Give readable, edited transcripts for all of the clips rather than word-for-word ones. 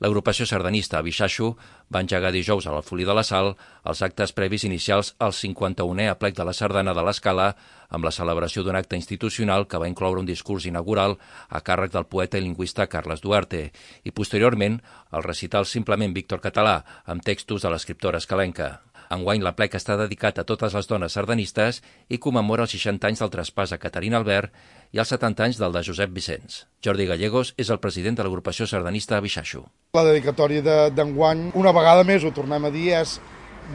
L'agrupació sardanista Bixaxu va engegar dijous a l'Alfolí de la Sal els actes previs inicials al 51è aplec de la Sardana de l'Escala amb la celebració d'un acte institucional que va incloure un discurs inaugural a càrrec del poeta i lingüista Carles Duarte i, posteriorment, el recital Simplement Víctor Català amb textos de l'escriptora escalenca. Enguany l'aplec està dedicat a totes les dones sardanistes i commemora els 60 anys del traspàs a Caterina Albert i els 70 anys del de Josep Vicens. Jordi Gallegos és el president de l'agrupació sardanista Bixaxu. La dedicatòria d'enguany, una vegada més ho tornem a dir, és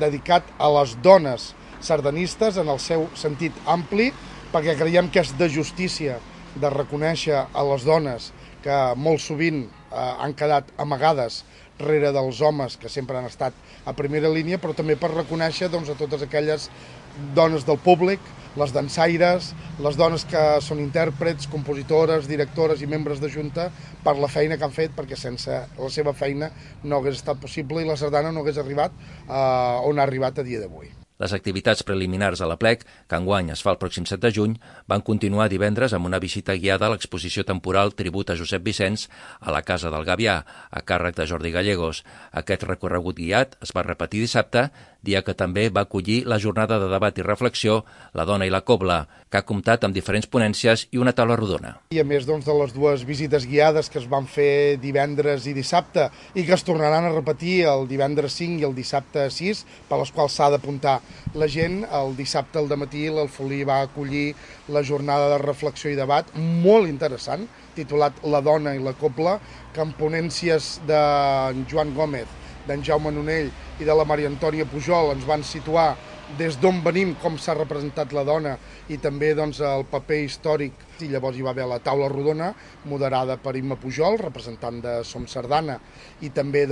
dedicat a les dones sardanistes en el seu sentit ampli, perquè creiem que és de justícia de reconèixer a les dones que molt sovint han quedat amagades rere dels homes que sempre han estat a primera línia, però també per reconèixer a totes aquelles dones del públic, les dansaires, les dones que són intèrprets, compositores, directores i membres de junta per la feina que han fet, perquè sense la seva feina no hagués estat possible i la sardana no hagués arribat on ha arribat a dia d'avui. Les activitats preliminars a l'aplec, que enguany es fa el pròxim 7 de juny, van continuar divendres amb una visita guiada a l'exposició temporal Tribut a Josep Vicens a la Casa del Gavià, a càrrec de Jordi Gallegos. Aquest recorregut guiat es va repetir dissabte, dia que també va acollir la jornada de debat i reflexió La dona i la cobla, que ha comptat amb diferents ponències i una taula rodona. I a més de les dues visites guiades que es van fer divendres i dissabte i que es tornaran a repetir el divendres 5 i el dissabte 6, per les quals s'ha d'apuntar la gent, el dissabte al dematí l'Alfolí va acollir la jornada de reflexió i debat molt interessant, titulat La dona i la cobla, que amb ponències d'en Joan Gómez, d'en Jaume Nonell i de la Maria Antònia Pujol ens van situar des d'on venim, com s'ha representat la dona i també el paper històric. I llavors hi va haver la taula rodona, moderada per Imma Pujol, representant de Som Sardana, i també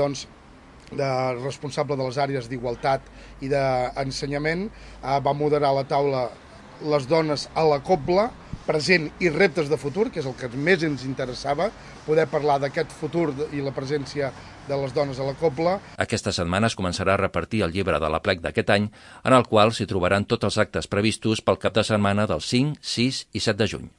responsable de les àrees d'igualtat i d'ensenyament, va moderar la taula Les dones a la cobla, present i reptes de futur, que és el que més ens interessava, poder parlar d'aquest futur i la presència de les dones a la cobla. Aquesta setmana es començarà a repartir el llibre de l'aplec d'aquest any, en el qual s'hi trobaran tots els actes previstos pel cap de setmana del 5, 6 i 7 de juny.